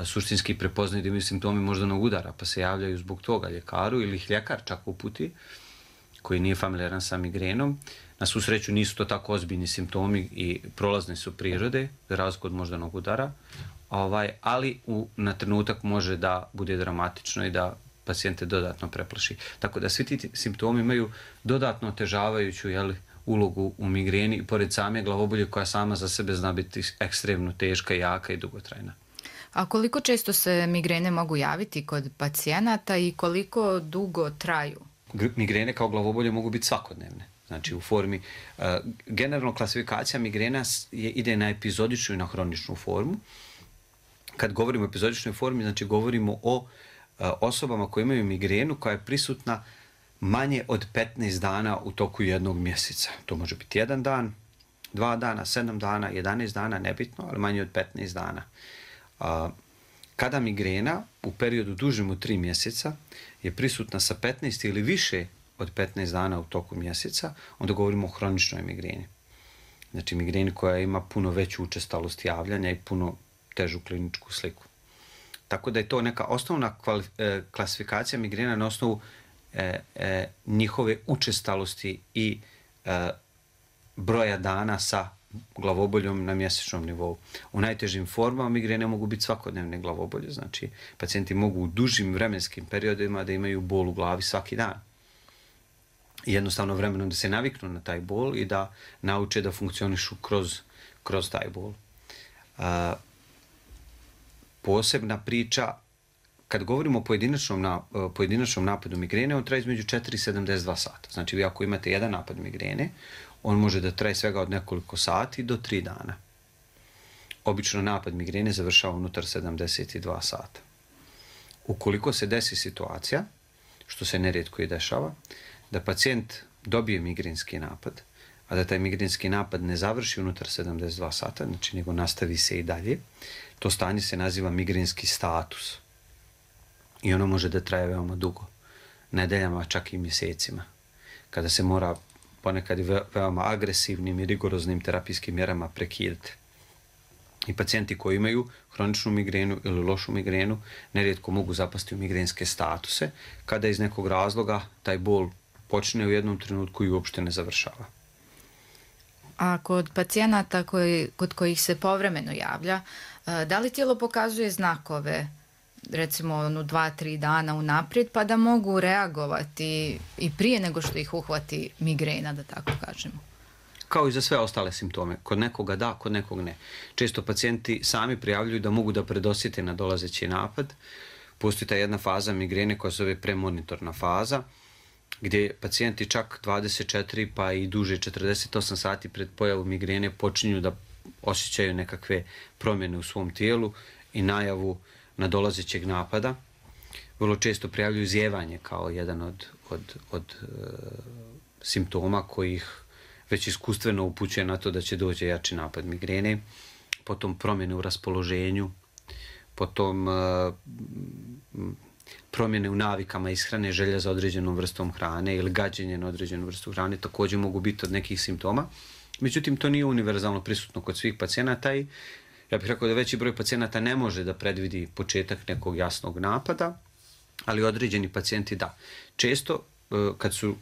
suštinski prepoznaju da imaju simptomi moždanog udara, pa se javljaju zbog toga ljekaru ili ih ljekar čak uputi, koji nije familijaran sa migrenom. Na svu sreću nisu to tako ozbiljni simptomi i prolazne su prirode, za razliku od moždanog udara, ali na trenutak može da bude dramatično i da pacijente dodatno preplaši. Tako da svi ti simptomi imaju dodatno otežavajuću ulogu u migreni i pored same glavobolje koja sama za sebe zna biti ekstremno teška, jaka i dugotrajna. A koliko često se migrene mogu javiti kod pacijenata i koliko dugo traju? Migrene kao glavobolje mogu biti svakodnevne. Znači u formi, generalno klasifikacija migrena ide na epizodičnu i na hroničnu formu. Kad govorimo o epizodičnoj formi, znači govorimo o osobama koje imaju migrenu koja je prisutna manje od 15 dana u toku jednog mjeseca. To može biti 1 dan, 2 dana, 7 dana, 11 dana, nebitno, ali manje od 15 dana. Kada migrena u periodu dužem od 3 mjeseca je prisutna sa 15 ili više od 15 dana u toku mjeseca, onda govorimo o hroničnoj migreni. Znači migreni koja ima puno veću učestalost javljanja i puno težu kliničku sliku. Tako da je to neka osnovna klasifikacija migrena na osnovu njihove učestalosti i broja dana sa glavoboljom na mjesečnom nivou. U najtežim formama migrene mogu biti svakodnevne glavobolje, znači pacijenti mogu u dužim vremenskim periodima da imaju bol u glavi svaki dan. Jednostavno vremenom da se naviknu na taj bol i da nauče da funkcionišu kroz taj bol. Posebna priča, kad govorimo o pojedinačnom napadu migrene, on traje između 4 i 72 sata. Znači vi ako imate jedan napad migrene, on može da traje svega od nekoliko sati do 3 dana. Obično napad migrene završava unutar 72 sata. Ukoliko se desi situacija, što se nerijetko i dešava, da pacijent dobije migrenski napad, a da taj migrenski napad ne završi unutar 72 sata, znači nego nastavi se i dalje, to stanje se naziva migrenski status. I ono može da traje veoma dugo, nedeljama, čak i mjesecima, kada se mora ponekad veoma agresivnim i rigoroznim terapijskim mjerama prekidati. I pacijenti koji imaju hroničnu migrenu ili lošu migrenu nerijetko mogu zapasti u migrenske statuse, kada iz nekog razloga taj bol počne u jednom trenutku i uopšte ne završava. A kod pacijenata kod kojih se povremeno javlja, da li tijelo pokazuje znakove, recimo 2-3 dana unaprijed, pa da mogu reagovati i prije nego što ih uhvati migrena, da tako kažemo? Kao i za sve ostale simptome. Kod nekoga da, kod nekog ne. Često pacijenti sami prijavljuju da mogu da predosjete na dolazeći napad. Postoji ta jedna faza migrene koja se zove premonitorna faza, gdje pacijenti čak 24 pa i duže 48 sati pred pojavom migrene počinju da osjećaju nekakve promjene u svom tijelu i najavu nadolazećeg napada. Vrlo često prijavljuju zijevanje kao jedan od simptoma kojih već iskustveno upućuje na to da će doći jači napad migrene, potom promjene u raspoloženju, potom promjene u navikama ishrane, želja za određenom vrstom hrane ili gađenje na određenu vrstu hrane također mogu biti od nekih simptoma. Međutim, to nije univerzalno prisutno kod svih pacijenata i ja bih rekao da veći broj pacijenata ne može da predvidi početak nekog jasnog napada, ali određeni pacijenti da. Često, kad su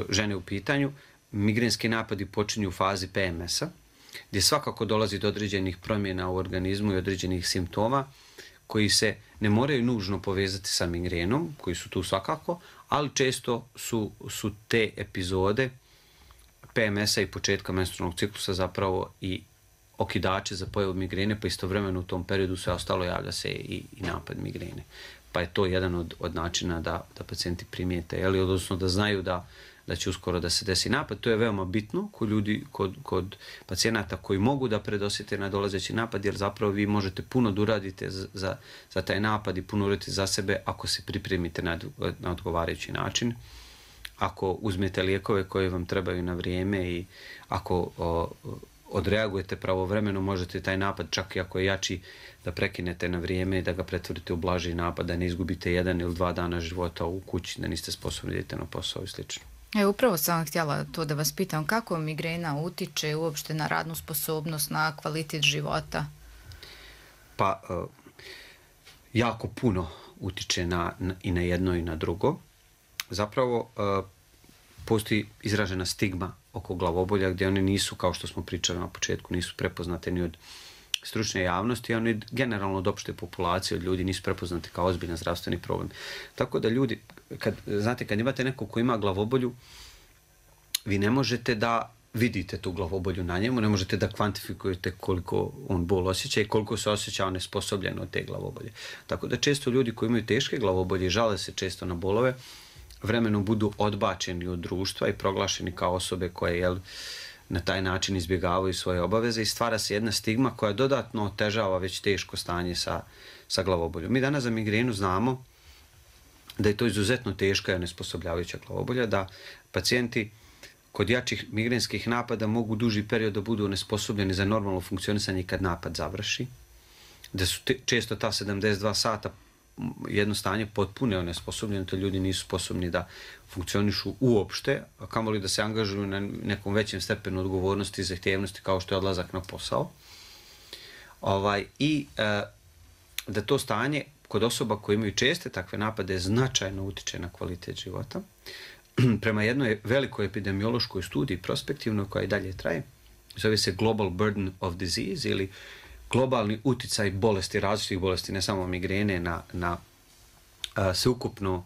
žene u pitanju, migrenski napadi počinju u fazi PMS-a, gdje svakako dolazi do određenih promjena u organizmu i određenih simptoma koji se ne moraju nužno povezati sa migrenom, koji su tu svakako, ali često su te epizode PMS-a i početka menstrualnog ciklusa zapravo i okidače za pojavu migrene, pa istovremeno u tom periodu sve ostalo javlja se i napad migrene. Pa je to jedan od načina da pacijenti primijete, odnosno da znaju da će uskoro da se desi napad. To je veoma bitno kod pacijenata koji mogu da predosjete na dolazeći napad, jer zapravo vi možete puno da uradite za taj napad i puno uradite za sebe ako se pripremite na odgovarajući način, ako uzmete lijekove koje vam trebaju na vrijeme i ako odreagujete pravovremeno, možete taj napad, čak i ako je jači, da prekinete na vrijeme i da ga pretvorite u blaži napad, da ne izgubite 1 ili 2 dana života u kući, da niste sposobni da idete na posao i slično. Upravo sam htjela to da vas pitam, kako migrena utiče uopšte na radnu sposobnost, na kvalitet života? Pa, jako puno utiče i na jedno i na drugo. Zapravo, postoji izražena stigma oko glavobolja gdje one nisu, kao što smo pričali na početku, nisu prepoznate ni od stručne javnosti, a one generalno od opšte populacije, od ljudi nisu prepoznate kao ozbiljan zdravstveni problem. Tako da ljudi, kad imate nekog ko ima glavobolju, vi ne možete da vidite tu glavobolju na njemu, ne možete da kvantifikujete koliko on bol osjeća i koliko se osjeća onesposobljen od te glavobolje. Tako da često ljudi koji imaju teške glavobolje i žale se često na bolove, vremenom budu odbačeni od društva i proglašeni kao osobe koje na taj način izbjegavaju svoje obaveze i stvara se jedna stigma koja dodatno otežava već teško stanje sa glavoboljom. Mi danas za migrenu znamo da je to izuzetno teška i onesposobljavajuća glavobolja, da pacijenti kod jačih migrenskih napada mogu duži period da budu onesposobljeni za normalno funkcionisanje kad napad završi, da su često ta 72 sata jedno stanje potpuno onesposobljeno, to ljudi nisu sposobni da funkcionišu uopšte, a kamoli da se angažuju na nekom većem stepenu odgovornosti i zahtjevnosti kao što je odlazak na posao. I da to stanje kod osoba koje imaju česte takve napade značajno utiče na kvalitet života. Prema jednoj velikoj epidemiološkoj studiji prospektivnoj koja i dalje traje, zove se Global Burden of Disease ili globalni uticaj bolesti, različitih bolesti, ne samo migrene, na sveukupno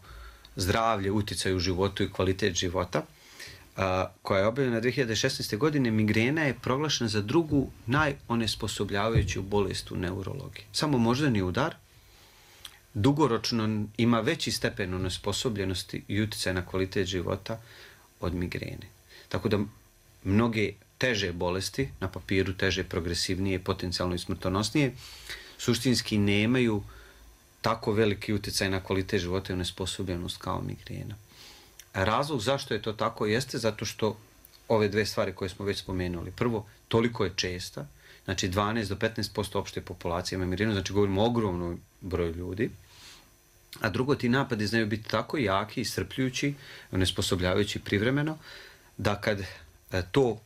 zdravlje, uticaj u životu i kvalitet života, koja je objavljena 2016. godine, migrena je proglašena za drugu najonesposobljavajuću bolest u neurologiji. Samo moždani udar dugoročno ima veći stepen onesposobljenosti i uticaj na kvalitet života od migrene. Tako da mnoge teže bolesti, na papiru teže, progresivnije, potencijalno i smrtonosnije, suštinski nemaju tako veliki uticaj na kvalitet života i onesposobljenost kao migrena. Razlog zašto je to tako jeste zato što ove dve stvari koje smo već spomenuli. Prvo, toliko je česta, znači 12 do 15% opšte populacije ima migrenu, znači govorimo o ogromnom broju ljudi. A drugo, ti napadi znaju biti tako jaki, iscrpljujući, onesposobljavajući privremeno, da kad to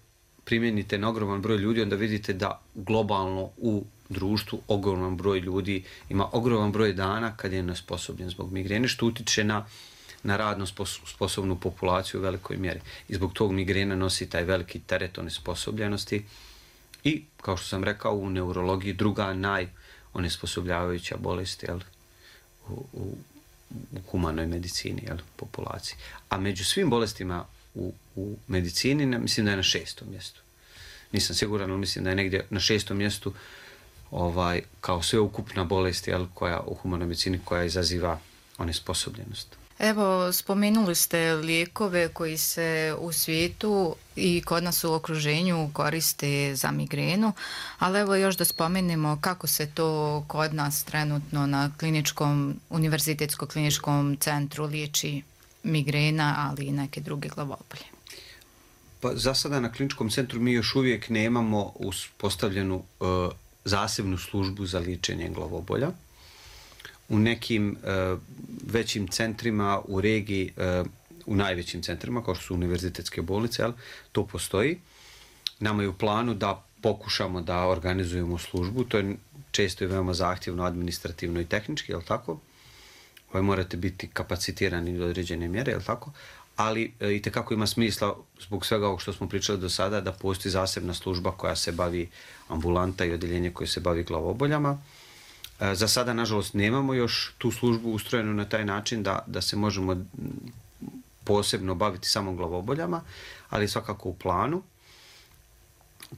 primjenite na ogroman broj ljudi, onda vidite da globalno u društvu ogroman broj ljudi ima ogroman broj dana kad je nesposobljen zbog migrene, što utiče na radno sposobnu populaciju u velikoj mjeri. I zbog tog migrena nosi taj veliki teret onesposobljenosti i, kao što sam rekao, u neurologiji druga najonesposobljavajuća bolest u humanoj medicini, populaciji. A među svim bolestima u medicini, mislim da je na 6. mjestu. Nisam siguran, ali mislim da je negdje na 6. mjestu kao sveukupna bolest koja u humanoj medicini koja izaziva onesposobljenost. Evo, spomenuli ste lijekove koji se u svijetu i kod nas u okruženju koriste za migrenu, ali evo još da spomenemo kako se to kod nas trenutno na Univerzitetskom kliničkom centru liječi migrena, ali i neke druge glavobolje. Pa za sada na kliničkom centru mi još uvijek nemamo uspostavljenu zasebnu službu za liječenje glavobolja. U nekim većim centrima u regiji, u najvećim centrima, kao što su univerzitetske bolnice, to postoji. Nama je u planu da pokušamo da organizujemo službu. To je često i veoma zahtjevno, administrativno i tehnički, je li tako? Morate biti kapacitirani do određene mjere, je li tako? Ali i tekako ima smisla, zbog svega ovog što smo pričali do sada, da postoji zasebna služba koja se bavi ambulanta i odjeljenje koje se bavi glavoboljama. Za sada, nažalost, nemamo još tu službu ustrojenu na taj način da se možemo posebno baviti samo glavoboljama, ali svakako u planu.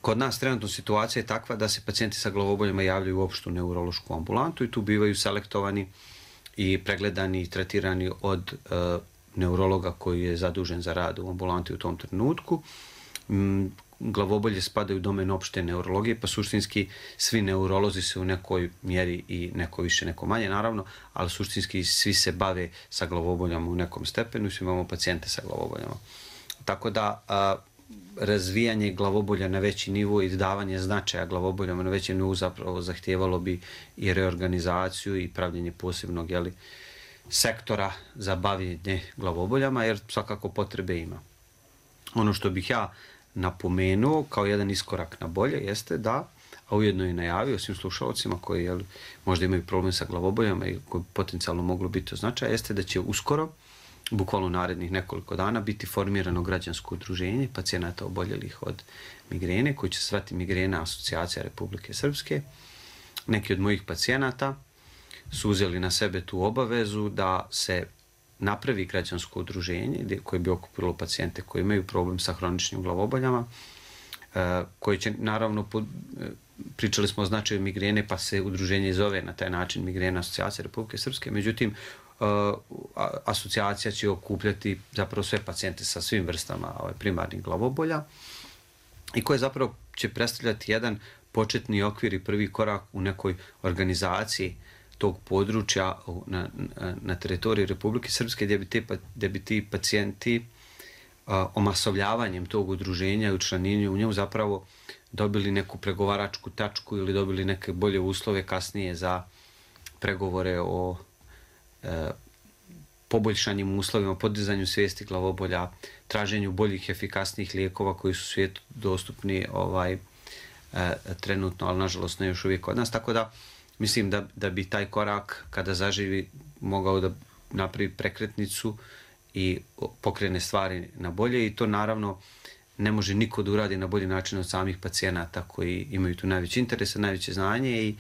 Kod nas trenutno situacija je takva da se pacijenti sa glavoboljama javljaju u opštu neurološku ambulantu i tu bivaju selektovani i pregledani i tretirani od neurologa koji je zadužen za rad u ambulanti u tom trenutku. Glavobolje spadaju u domen opšte neurologije, pa suštinski svi neurolozi se u nekoj mjeri i neko više, neko manje, naravno, ali suštinski svi se bave sa glavoboljama u nekom stepenu i svi imamo pacijente sa glavoboljama. Tako da razvijanje glavobolja na veći nivo i davanje značaja glavoboljama na većem nivou zapravo zahtijevalo bi i reorganizaciju i pravljenje posebnog sektora za bavljenje glavoboljama, jer svakako potrebe ima. Ono što bih ja napomenuo kao jedan iskorak na bolje jeste da, a ujedno i najavio svim slušalcima koji možda imaju problem sa glavoboljama i koji potencijalno moglo biti od značaja, jeste da će uskoro, bukvalno narednih nekoliko dana, biti formirano građansko udruženje pacijenata oboljelih od migrene, koji će se zvati Migrena asocijacija Republike Srpske. Neki od mojih pacijenata su uzeli na sebe tu obavezu da se napravi građansko udruženje koje bi okupilo pacijente koji imaju problem sa hroničnim glavoboljama, koji će, naravno, pričali smo o značaju migrene, pa se udruženje zove na taj način Migrena asocijacija Republike Srpske, međutim, asocijacija će okupljati zapravo sve pacijente sa svim vrstama primarnih glavobolja i koje zapravo će predstavljati jedan početni okvir i prvi korak u nekoj organizaciji tog područja na teritoriji Republike Srpske gdje bi ti pacijenti omasovljavanjem tog udruženja i učlanjenju u njemu zapravo dobili neku pregovaračku tačku ili dobili neke bolje uslove kasnije za pregovore o poboljšanjem uslovima, podizanju svijesti glavobolja, traženju boljih, efikasnijih lijekova koji su u svijetu dostupni trenutno, ali nažalost ne još uvijek kod nas. Tako da mislim da bi taj korak kada zaživi mogao da napravi prekretnicu i pokrene stvari na bolje i to naravno ne može niko da uradi na bolji način od samih pacijenata koji imaju tu najveći interes, najveće znanje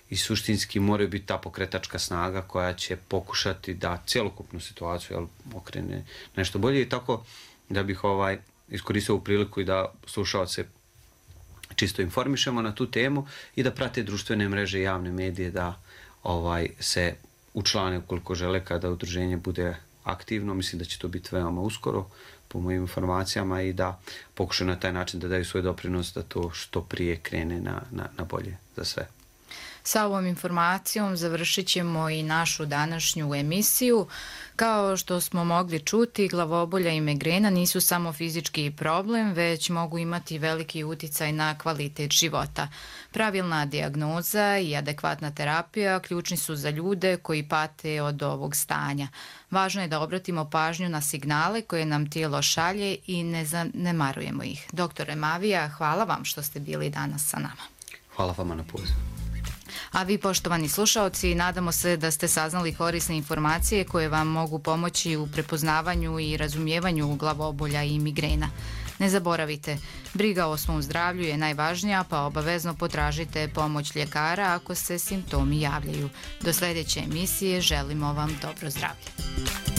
i suštinski moraju biti ta pokretačka snaga koja će pokušati da cjelokupnu situaciju okrene nešto bolje i tako da bih iskoristio ovu priliku i da slušalce čisto informišemo na tu temu i da prate društvene mreže i javne medije da se učlane ukoliko žele kada udruženje bude aktivno. Mislim da će to biti veoma uskoro po mojim informacijama i da pokušaju na taj način da daju svoj doprinos da to što prije krene na bolje za sve. Sa ovom informacijom završit ćemo i našu današnju emisiju. Kao što smo mogli čuti, glavobolja i migrena nisu samo fizički problem, već mogu imati veliki uticaj na kvalitet života. Pravilna dijagnoza i adekvatna terapija ključni su za ljude koji pate od ovog stanja. Važno je da obratimo pažnju na signale koje nam tijelo šalje i ne zanemarujemo ih. Doktore Mavija, hvala vam što ste bili danas sa nama. Hvala vama na pozivu. A vi, poštovani slušaoci, nadamo se da ste saznali korisne informacije koje vam mogu pomoći u prepoznavanju i razumijevanju glavobolja i migrena. Ne zaboravite, briga o svom zdravlju je najvažnija, pa obavezno potražite pomoć ljekara ako se simptomi javljaju. Do sljedeće emisije želimo vam dobro zdravlje.